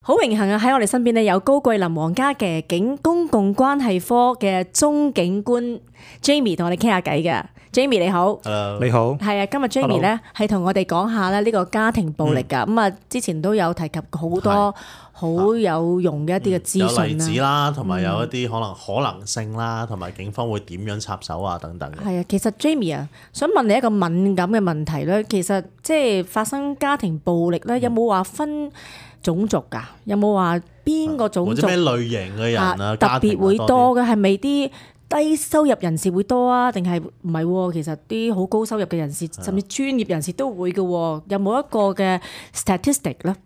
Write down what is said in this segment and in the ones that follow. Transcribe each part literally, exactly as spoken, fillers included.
好榮幸啊！喺我哋身邊咧有高桂林皇家騎警公共關係科嘅鐘警官 Jamie 同我哋傾下偈嘅。Jamie 你好。Hello. 你好。係啊，今日 Jamie 咧係同我哋講下咧呢個家庭暴力噶。咁啊、嗯，之前都有提及好多好有用嘅一啲嘅資訊啦、嗯，有例子啦，同埋有一啲可能可能性啦，同埋警方會點樣插手啊等等嘅。係啊，其實 Jamie 啊，想問你一個敏感嘅問題咧，其實即係發生家庭暴力咧，有冇話分種族㗎？有冇話邊個種族或者咩類型嘅人啊？特別會多嘅係咪啲低收入人士會多啊？定係唔係？其實啲好高收入嘅人士，甚至專業人士都會嘅。有冇一個嘅 statistic 咧？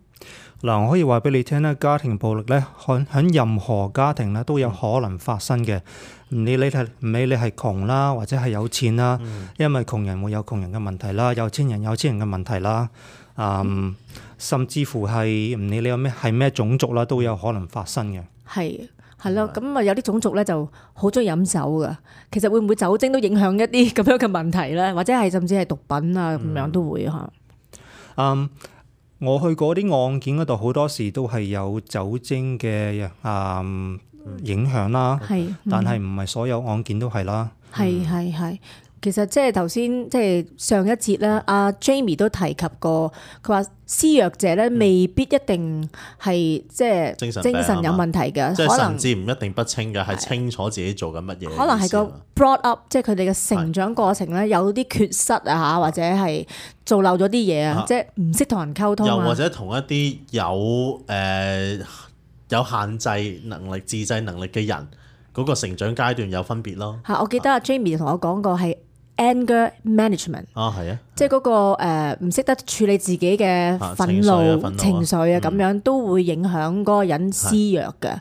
嗱，我可以話俾你聽咧，家庭暴力咧，喺喺任何家庭咧都有可能發生嘅。唔理你係唔理你係窮啦，或者係有錢啦，嗯、因為窮人會有窮人嘅問題啦，有錢人有錢人嘅問題啦。嗯，甚至乎係唔理你有咩係咩種族啦，都有可能發生嘅。係係咯，咁啊有啲種族咧就好中意飲酒噶。其實會唔會酒精都影響一啲咁樣嘅問題咧？或者係甚至係毒品啊咁、嗯、樣都會嚇。嗯，我去過啲案件嗰度，好多時都係有酒精嘅啊、嗯、影響啦。係、嗯，但係唔係所有案件都係啦。係係係。其實即係頭先即係上一節咧，阿 Jamie 都提及過，佢話施虐者咧未必一定係即係精神有問題嘅，即係神志唔一定不清嘅，係清楚自己做緊乜嘢。可能係個 brought up， 即係佢哋嘅成長過程咧有啲缺失啊嚇，或者係做漏咗啲嘢啊，即係唔識同人溝通啊，又或者同一啲有誒、呃、有限制能力、自制能力嘅人嗰、那個成長階段有分別咯。嚇，我記得阿 Jamie 同我講過係anger management 啊，係啊，即係嗰個誒唔識得處理自己嘅憤怒情緒啊，咁樣都會影響嗰個人施虐嘅。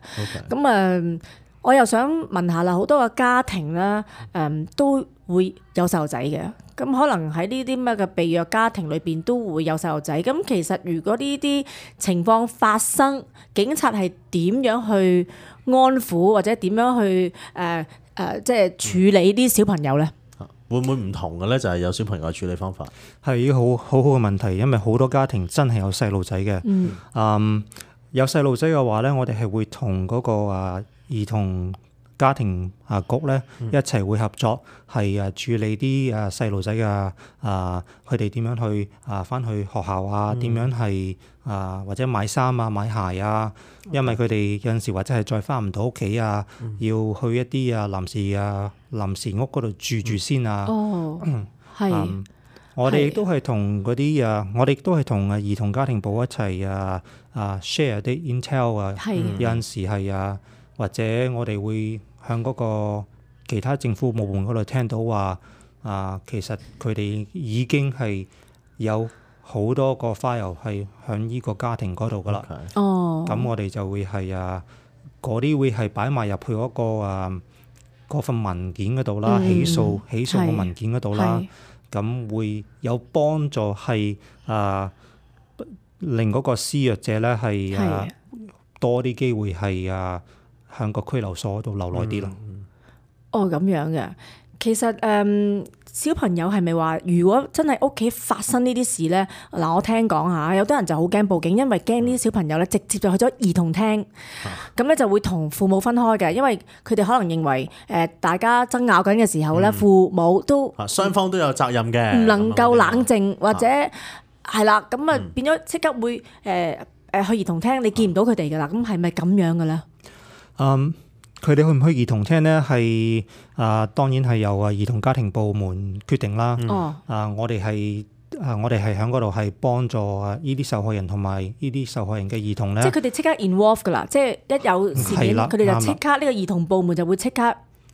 咁啊，我又想問下啦，好多個家庭啦，誒都會有細路仔嘅。咁可能喺呢啲咩嘅被虐家庭裏邊都會有細路仔。咁其實如果呢啲情況發生，警察係點樣去安撫或者點樣去誒誒即係處理啲小朋友咧？會唔會唔同嘅咧？就係有小朋友嘅處理方法係一個好好好嘅問題，因為好多家庭真係有細路仔嘅。嗯，嗯，有細路仔嘅話咧，我哋係會同嗰個啊兒童家庭啊局咧一齊會合作，係啊處理啲啊細路仔嘅啊佢哋點樣去啊返去學校啊，點樣係啊或者買衫啊買鞋啊，因為佢哋有陣時或者係再返唔到屋企啊，要去一啲啊臨時啊臨時屋嗰度住住先啊。哦，係、嗯。我哋亦都係同嗰啲啊，我哋亦都係同啊兒童家庭部一齊啊啊 share 啲 intel 啊，有陣時係啊。或者我哋會向嗰個其他政府部門嗰度聽到話啊，其實佢哋已經係有好多個 file 係響呢個家庭嗰度噶啦。哦，咁我哋就會係啊，嗰啲會係擺埋入去嗰個啊嗰份文件嗰度啦，嗯、起訴起訴嘅文件嗰度啦，咁會有幫助係啊，令嗰個施虐者咧係啊多啲機會係啊。向個拘留所度留耐啲咯。哦，咁樣嘅。其實誒、嗯，小朋友係咪話，如果真係屋企發生呢啲事咧，嗱，我聽講下，有啲人就好驚報警，因為驚呢啲小朋友咧直接就去咗兒童廳，咁咧、啊、就會同父母分開嘅，因為佢哋可能認為誒大家爭拗緊嘅時候咧，嗯、父母都雙方都有責任嘅，唔能夠冷靜或者係啦，咁啊變咗即刻會誒誒、呃、去兒童廳，你見唔到佢哋噶啦，咁係咪咁樣嘅咧？嗯，佢哋去唔去兒童廳咧？係啊，當然係由啊兒童家庭部門決定啦。哦、嗯，啊，我哋係啊，我哋係喺嗰度係幫助啊呢啲受害人同埋呢啲受害人嘅兒童咧。即係佢哋即刻 involve 噶啦，即係一有事件，佢哋就即刻呢個兒童部門就會即刻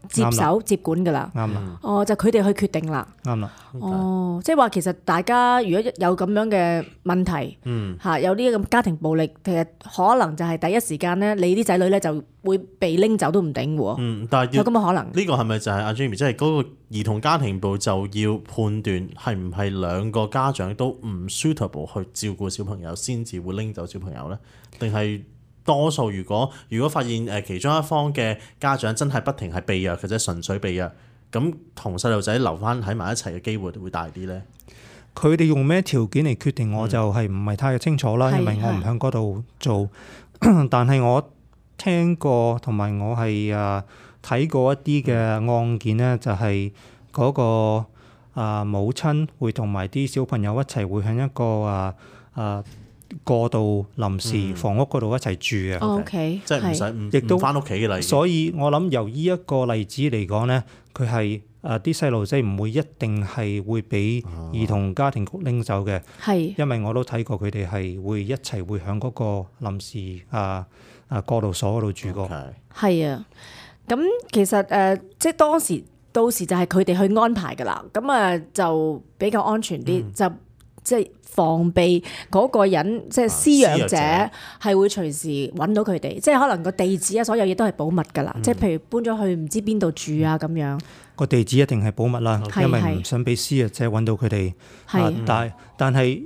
接手接管噶啦。啱啦。哦，就佢哋去決定啦。啱啦。哦，即係話其實大家如果有咁樣嘅問題，嗯，嚇有呢個家庭暴力，其實可能就係第一時間咧，你啲仔女咧就會被拎走都唔定喎。嗯，但係有咁嘅可能。呢個係咪就係阿 Jamie，即係嗰個兒童家庭部就要判斷係唔係兩個家長都唔 suitable 去照顧小朋友，先至會拎走小朋友咧？定係多數如果如果發現誒其中一方嘅家長真係不停係被虐或者純粹被虐，咁同細路仔留翻喺埋一齊嘅機會會大啲咧？佢哋用咩條件嚟決定，我就係唔係太清楚啦，因為我唔喺嗰度做。但係我聽過同埋我係啊睇過一啲嘅案件咧，就係嗰個啊母親會同埋啲小朋友一齊會喺一個啊啊過渡臨時房屋嗰度一齊住嘅。O K，即係唔使唔亦都唔翻屋企嘅例子。所以我諗由呢一個例子嚟講咧，佢係啊啲細路仔唔會一定係會俾兒童家庭局拎走嘅，係因為我都睇過佢哋係會一齊會喺嗰個臨時啊啊過渡所嗰度住過。係啊，咁其實誒、呃，即係當時到時就係佢哋去安排㗎啦，咁啊就比較安全啲，嗯、就即係防備嗰個人，即係施虐者係會隨時揾到佢哋，即係可能個地址啊，所有嘢都係保密㗎啦。嗯、即係譬如搬咗去唔知邊度住啊咁樣。個地址一定係保密啦，是因為唔想俾施虐者揾到佢哋。係、啊，但但係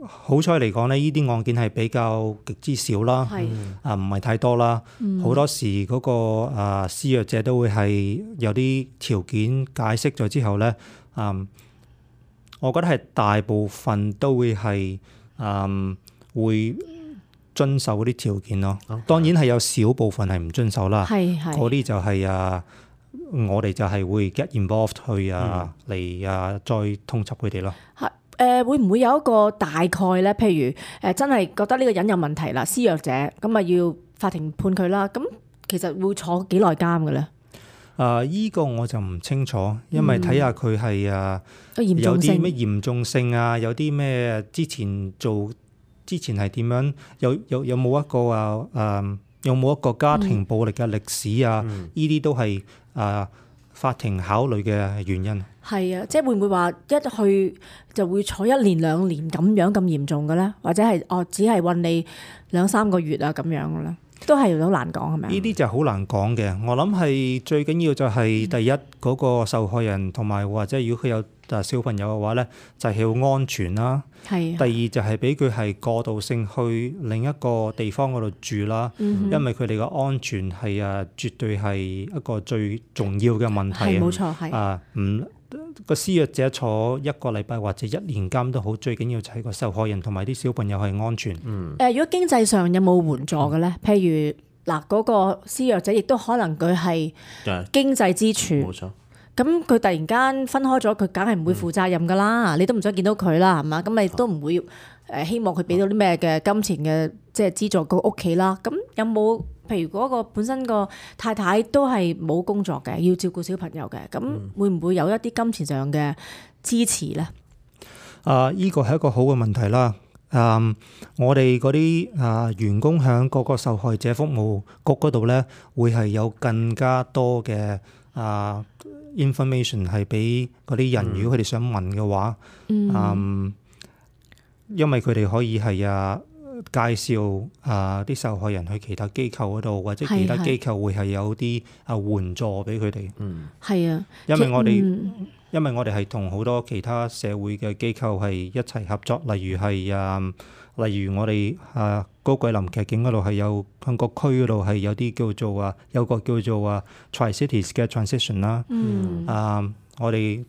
好彩嚟講咧，呢啲案件係比較極之少啦。係是，啊唔係太多啦。好、嗯、多時嗰、那個啊施虐者都會係有啲條件解釋咗之後咧，嗯。我覺得係大部分都會係嗯會遵守嗰啲條件咯。Okay. 當然係有少部分係唔遵守啦。係係嗰啲就係、是、啊，我哋就係會 get involved 去啊嚟、嗯、啊再通緝佢哋咯。係誒、呃，會唔會有一個大概咧？譬如誒、呃，真係覺得呢個人有問題啦，施虐者咁啊，要法庭判佢啦。咁其實會坐幾耐監嘅咧？啊！依、這個我就唔清楚，因為睇下佢係啊，嗯、有啲咩嚴重性啊，有啲咩之前做之前係點樣，有有有冇一個啊誒，有冇一個家庭暴力嘅歷史啊？呢啲、嗯、都係啊法庭考慮嘅原因。係啊，即係會唔會話一去就會坐一年兩年咁樣咁嚴重嘅咧？或者係哦，只係韞你兩三個月啊咁樣嘅咧？都係好難講係咪？呢啲就好難講嘅。我諗係最緊要就係第一嗰、嗯、個受害人同埋或者如果佢有小朋友嘅話咧，就係、是、要安全啦。係。第二就係俾佢係過渡性去另一個地方嗰度住啦。嗯、哼因為佢哋嘅安全係啊，絕對係一個最重要嘅問題。係冇錯，係啊，唔個施虐者坐一個禮拜或者一年監都好，最緊要就係個受害人同埋啲小朋友係安全。嗯。誒，如果經濟上有冇援助嘅咧？嗯、譬如嗱，嗰個施虐者亦都可能佢係經濟支柱。冇錯。咁佢突然間分開咗，佢梗係唔會負責任噶啦。嗯、你都唔想見到佢啦，係嘛？咁你都唔會誒希望佢俾到啲咩嘅金錢嘅即係資助個屋企啦。咁有冇？譬如嗰個本身個太太都係冇工作嘅，要照顧小朋友嘅，咁會唔會有一啲金錢上嘅支持咧？啊，依個係一個好嘅問題啦。嗯，我哋嗰啲啊員工喺嗰個受害者服務局嗰度咧，會係有更加多嘅啊 information 係俾嗰啲人，如果佢哋想問嘅話，嗯，嗯，因為佢哋可以係啊。介紹啊啲受害人去其他機構嗰度，或者其他機構會係有啲啊援助俾佢哋。嗯，係啊，因為我哋、嗯、因為我哋係同好多其他社會嘅機構係一齊合作，例如係啊，例如我哋啊高桂林劇景嗰度係有香港區嗰度係有啲叫做啊有個叫做啊 Tri-Cities 嘅 transition 啦。嗯，啊我哋。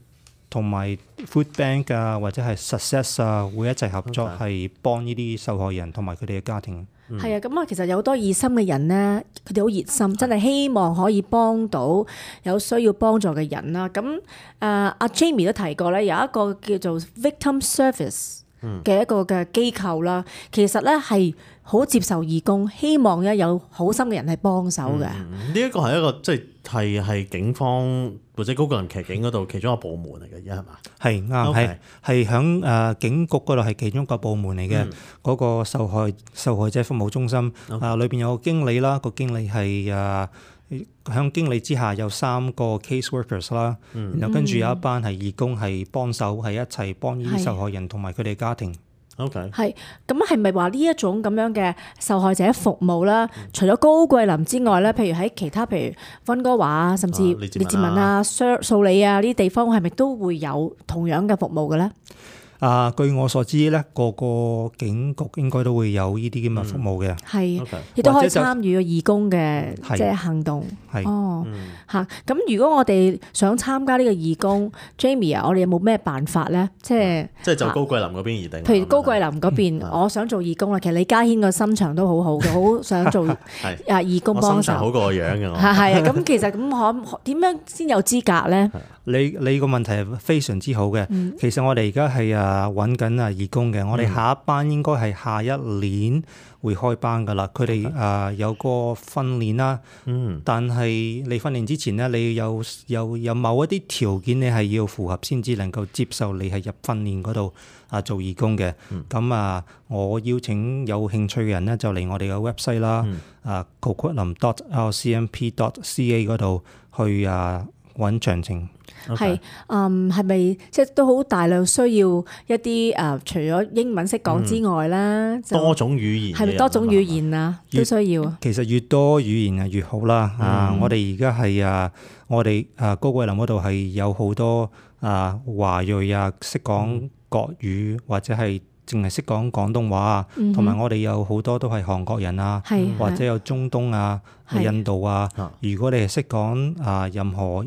同埋 Food Bank 啊，或者係 Success 啊，會一齊合作，係幫呢啲受害人同埋佢哋嘅家庭。係啊，咁啊，其實有好多熱心嘅人咧，佢哋好熱心，真係希望可以幫到有需要幫助嘅人啦。咁誒，阿 Jamie 都提過咧，有一個叫做 Victim Service 嘅一個嘅機構啦，其實咧係好接受義工，希望咧有好心嘅人係幫手嘅。呢一個係一個即係係係警方或者高桂林劇警嗰度其中一個部門嚟嘅，而家係嘛？係啱，係係響誒警局嗰度係其中一個部門嚟嘅。嗰、嗯、個受害受害者服務中心啊，裏邊、嗯、有個經理啦，個經理係誒響經理之下有三個 case workers 啦、嗯，然後跟住有一班係義工係幫手，係一齊幫呢啲受害人同埋佢哋家庭。OK，係咁係咪話呢一種咁樣嘅受害者服務啦？嗯、除咗高桂林之外咧，譬如喺其他譬如溫哥華啊，甚至列治文啊、素里啊呢啲地方，係咪都會有同樣嘅服務嘅咧？啊，據我所知咧，個個警局應該都會有呢啲咁嘅服務嘅，係亦都可以參與個義工嘅即係行動。係哦嚇。咁如果我哋想參加呢個義工，Jamie 啊，我哋有冇咩辦法咧？即係即係就高桂林嗰邊而定。譬如高桂林嗰邊，我想做義工啦。其實李家軒個心腸都好好嘅，好想做啊義工幫手。我心腸好過我樣嘅我。係係啊，咁其實咁可點樣先有資格咧？你你個問題係非常之好嘅。嗯、其實我哋而家係啊揾緊啊義工嘅，我哋下一班應該係下一年會開班噶啦。佢哋啊有個訓練啦，嗯、但係你訓練之前咧，你有有有某一啲條件你係要符合先至能夠接受你係入訓練嗰度啊做義工嘅。咁、嗯、啊，我邀請有興趣嘅人咧就嚟我哋嘅 website 啦，嗯、啊 coquitlam dot r c m p dot c a 嗰度去啊揾詳情。係，嗯，係咪即係都好大量需要一啲誒、呃，除咗英文識講之外咧，嗯、多種語言係咪多種語言啊？都需要。其實越多語言啊越好啦。嗯、啊，我哋而家係啊，我哋啊高桂林嗰度係有好多啊華裔啊識講國語、嗯、或者係淨係識講廣東話啊，同埋、嗯、哼我哋有好多都係韓國人啊，嗯、或者有中東啊、是印度啊。是如果你係識講啊任何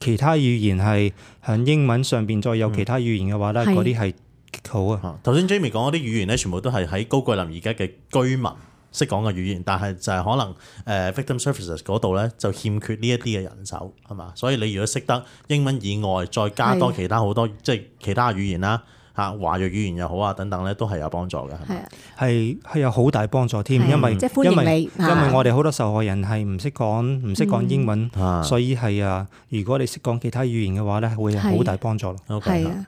其他語言係喺英文上邊再有其他語言嘅話咧，嗰啲係極好啊！頭先 Jamie 講嗰啲語言咧，全部都係喺高桂林而家嘅居民識講嘅語言，但係就係可能誒 Victim Services 嗰度咧就欠缺呢一啲嘅人手係嘛？所以你如果識得英文以外，再加多其他好多即係其他語言啦。嚇華裔語言又好啊，等等咧都係有幫助嘅，係咪？係係有好大幫助添，因為即係歡迎你，因為因為我哋好多受害人係唔識講唔識講英文，嗯、所以係啊，如果你識講其他語言嘅話咧，會有好大幫助咯。係啊，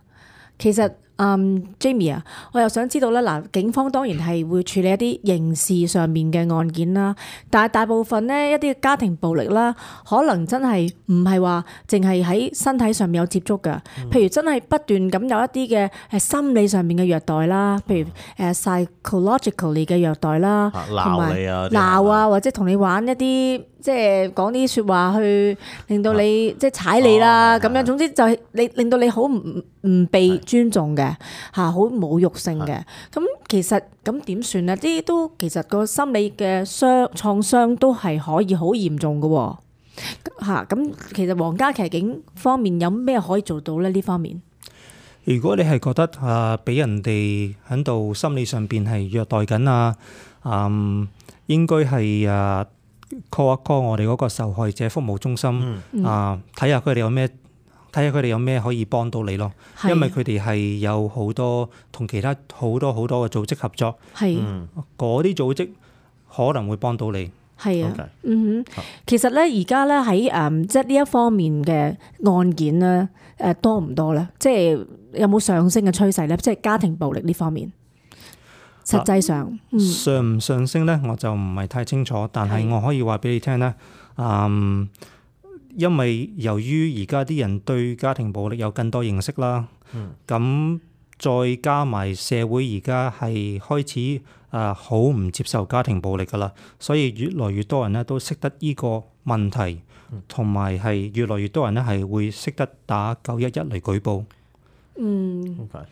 其實。嗯、um，Jamie 啊，我又想知道咧，嗱，警方當然係會處理一啲刑事上面嘅案件啦，但係大部分咧一啲家庭暴力啦，可能真係唔係話淨係喺身體上面有接觸㗎，譬如真係不斷咁有一啲嘅誒心理上面嘅虐待啦，譬如誒 psychologically 嘅虐待啦，同埋鬧啊，或者同你玩一啲。即係講啲説話去令到你、啊、即係踩你啦咁、哦、樣，總之就係你令到你好唔唔被尊重嘅嚇，好侮辱性嘅。咁其實咁點算咧？啲都其實個心理嘅傷創傷都係可以好嚴重嘅喎嚇。咁其實皇家騎警方面有咩可以做到咧？呢方面，如果你係覺得啊，俾人哋喺度心理上邊係虐待緊啊，嗯，應該係啊。call 一 call 我哋嗰個受害者服務中心、嗯、啊，睇下佢哋有咩，睇下佢哋有咩可以幫到你咯。是因為佢哋係有好多同其他好多好多嘅組織合作，係嗰啲組織可能會幫到你。係啊，Okay. 嗯哼，其實咧而家咧喺誒即係呢一方面嘅案件咧誒多唔多咧？即係有冇上升嘅趨勢咧？即係家庭暴力呢方面。實際上、嗯、上唔上升咧，我就唔係太清楚。但係我可以話俾你聽咧，嗯，因為由於而家啲人對家庭暴力有更多認識啦，咁、嗯、再加埋社會而家係開始啊好唔接受家庭暴力噶啦，所以越來越多人咧都識得呢個問題，同埋係越來越多人咧係會識得打九一一嚟舉報。嗯。Okay.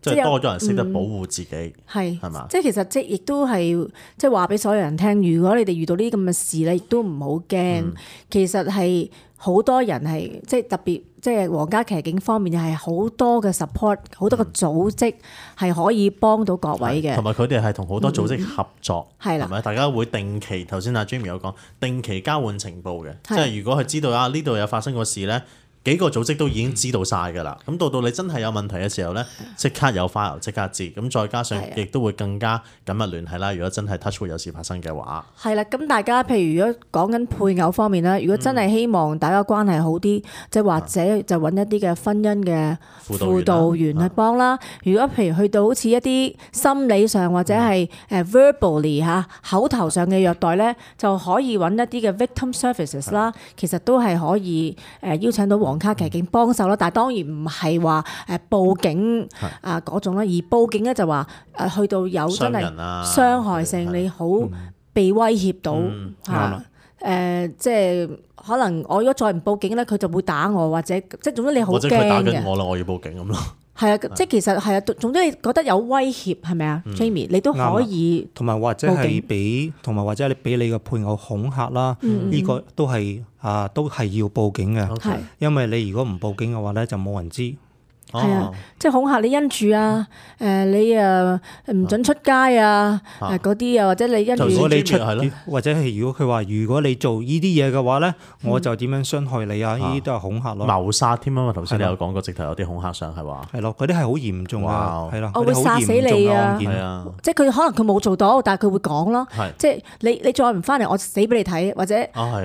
即係多咗人識得保護自己，係係嘛？即係其實即係亦都係即係話俾所有人聽，如果你哋遇到呢啲咁嘅事咧，亦都唔好驚。嗯、其實係好多人係即係特別，即係皇家騎警方面係好多嘅 support， 好多個組織係可以幫到各位嘅。同埋佢哋係同好多組織合作，係啦、嗯，係咪？大家會定期頭先阿 Jamie 有講，定期交換情報嘅，的即係如果佢知道啊呢度有發生過事咧。幾個組織都已經知道晒㗎啦，咁到到你真係有問題嘅時候咧，即刻有 file 即刻知，咁再加上亦都會更加緊密聯繫啦。如果真係 touch wood 有事發生嘅話，係啦，咁大家譬如如果講緊配偶方面啦，如果真係希望大家關係好啲，即係、嗯、或者就揾一啲嘅婚姻嘅輔導員去幫啦。如果譬如去到好似一啲心理上或者係誒 verbally 嚇口頭上嘅虐待咧，就可以揾一啲嘅 victim services 啦。的其實都係可以誒邀請到皇家騎警幫手啦，但係當然唔係話誒報警啊嗰種啦，而報警咧就話誒去到有真係傷害性，你好被威脅到嚇誒，即係可能我如果再唔報警咧，佢就會打我，或者即係總之你好驚嘅。或者佢打緊我啦，我要報警咁咯。係啊，即係其實係啊，總之你覺得有威脅係咪啊，Jamie？你都可以同埋或者係俾，同埋或者你俾你嘅配偶恐嚇啦，呢個都係啊，都係要報警嘅。係，因為你如果唔報警嘅話咧，就冇人知。係啊，即係恐嚇你因住啊，誒你誒唔準出街啊，誒嗰啲啊，或者你因住，如果你出或者係如果佢話如果你做呢啲嘢嘅話咧，我就點樣傷害你啊？呢啲都係恐嚇咯。謀殺添啊嘛！頭先你有講過，直頭有啲恐嚇上係話。係咯，嗰啲係好嚴重啊，係咯，我會殺死你啊！係啊，即係佢可能佢冇做到，但係佢會講咯。即係你你再唔翻嚟，我死俾你睇，或者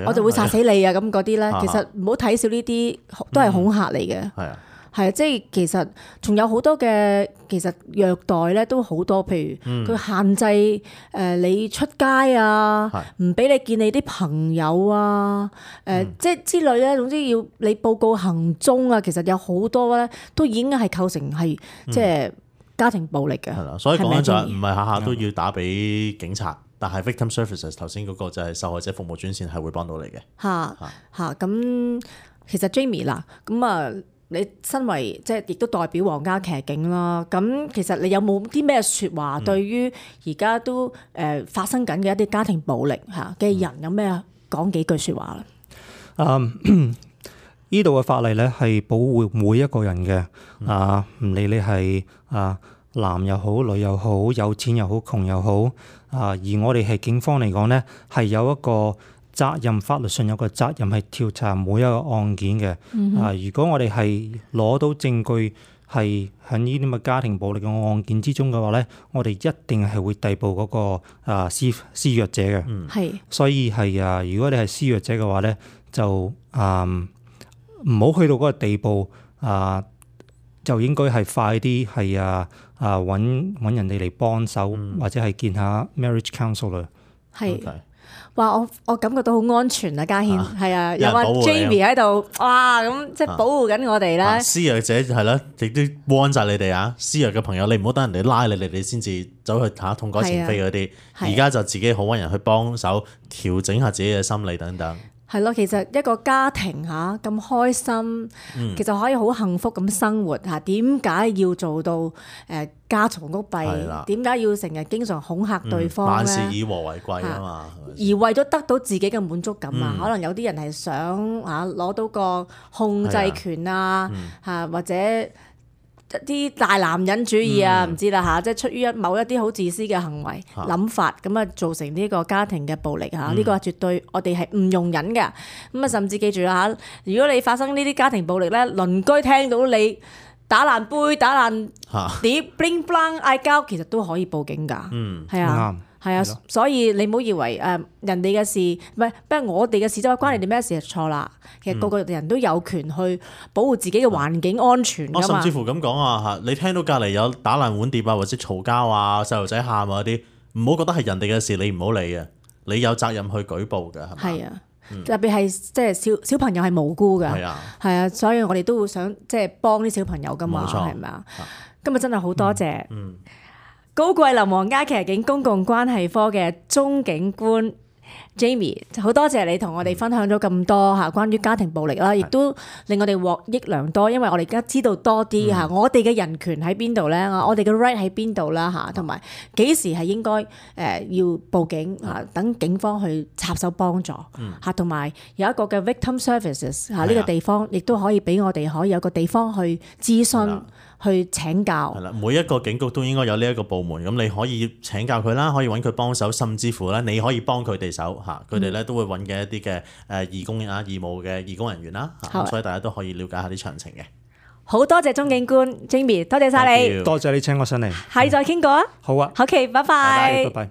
我就會殺死你啊！咁嗰啲咧，其實唔好睇少呢啲，都係恐嚇嚟嘅。係啊。係啊，即係其實仲有好多嘅，其實虐待咧都好多，譬如佢限制誒你出街啊，唔俾、嗯、你見你啲朋友啊，誒、呃嗯、即係之類咧，總之要你報告行蹤啊，其實有好多咧都已經係構成係即係家庭暴力嘅。係啦、嗯，所以講緊就係唔係下下都要打俾警察，嗯、但係 victim services 頭先嗰個就係受害者服務專線係會幫到你嘅。嚇嚇咁，其實 Jamie 嗱咁啊。你身為即係亦都代表皇家騎警啦，咁其實你有冇啲咩説話對於而家都誒發生緊嘅一啲家庭暴力嚇嘅人有咩講幾句説話咧？嗯，呢度嘅法例咧係保護每一個人嘅，啊唔理你係啊男又好，女又好，有錢又好，窮又好，啊而我哋係警方嚟講咧係有一個責任，法律上有個責任係調查每一個案件嘅。嗯、哼啊，如果我哋係攞到證據係喺呢啲咁嘅家庭暴力嘅案件之中嘅話咧，我哋一定係會逮捕嗰、那個啊施施虐者嘅。係、嗯，所以係啊，如果你係施虐者嘅話咧，就啊唔好去到嗰個地步啊，就應該係快啲係啊啊揾揾人哋嚟幫手，嗯、或者係見下 marriage counselor。係。Okay. 哇！我我感覺到好安全啊，家謙係啊，有阿 Jamie 喺度，哇咁即係保護緊我哋咧。施虐者係啦，亦都 warn 晒你哋啊！施虐嘅朋友，你唔好等人哋拉你，你哋先至走去嚇痛改前非嗰啲。而家就自己好揾人去幫手調整下自己嘅心理等等。係咯，其實一個家庭嚇咁開心，嗯、其實可以好幸福咁生活嚇。點解要做到誒家嘈屋閉？點解要成日經常恐嚇對方咧？萬事以和為貴啊嘛。而為咗得到自己嘅滿足感啊，嗯、可能有啲人係想嚇攞到個控制權啊嚇，嗯、或者一啲大男人主義啊，唔、嗯、知啦嚇，即係出於一某一啲好自私嘅行為諗、啊、法，咁啊造成呢個家庭嘅暴力嚇，呢、嗯、個係絕對我哋係唔容忍嘅。咁啊，甚至記住啦嚇，如果你發生呢啲家庭暴力咧，鄰居聽到你打爛杯、打爛碟、bling bling 嗌交，其實都可以報警㗎。嗯，係啊。係啊，所以你唔好以為誒人哋嘅事，唔係不過我哋嘅事，就係關你哋咩事就錯啦。其實個個人都有權去保護自己嘅環境安全㗎嘛。我甚至乎咁講啊嚇，你聽到隔離有打爛碗碟啊，或者嘈交啊、細路仔喊啊嗰啲，唔好覺得係人哋嘅事，你唔好理啊，你有責任去舉報㗎，係咪？係啊，嗯、特別係即係小小朋友係無辜㗎，係啊，係啊，所以我哋都會想即係幫啲小朋友㗎嘛，係咪啊？今日真係好多謝。嗯嗯高桂林皇家騎警公共關係科嘅鐘警官 Jamie， 好多謝你同我哋分享咗咁多嚇關於家庭暴力啦，亦都令我哋獲益良多，因為我哋而家知道多啲嚇，我哋嘅人權喺邊度咧？我哋嘅 right 喺邊度啦嚇，同埋幾時係應該誒要報警嚇，等警方去插手幫助嚇，同埋有一個嘅 victim services 嚇呢個地方，亦都可以俾我哋可以有個地方去諮詢。去請教係啦，每一個警局都應該有呢一個部門，咁你可以請教佢啦，可以揾佢幫手，甚至乎咧你可以幫佢哋手嚇，佢哋咧都會揾嘅一啲嘅誒義工啊、義務嘅義工人員啦，咁所以大家都可以了解下啲詳情嘅。好多謝鐘警官 Jamie，多謝晒你，多謝你請我上嚟，下次再傾過啊。好啊，好嘅，拜拜。拜拜。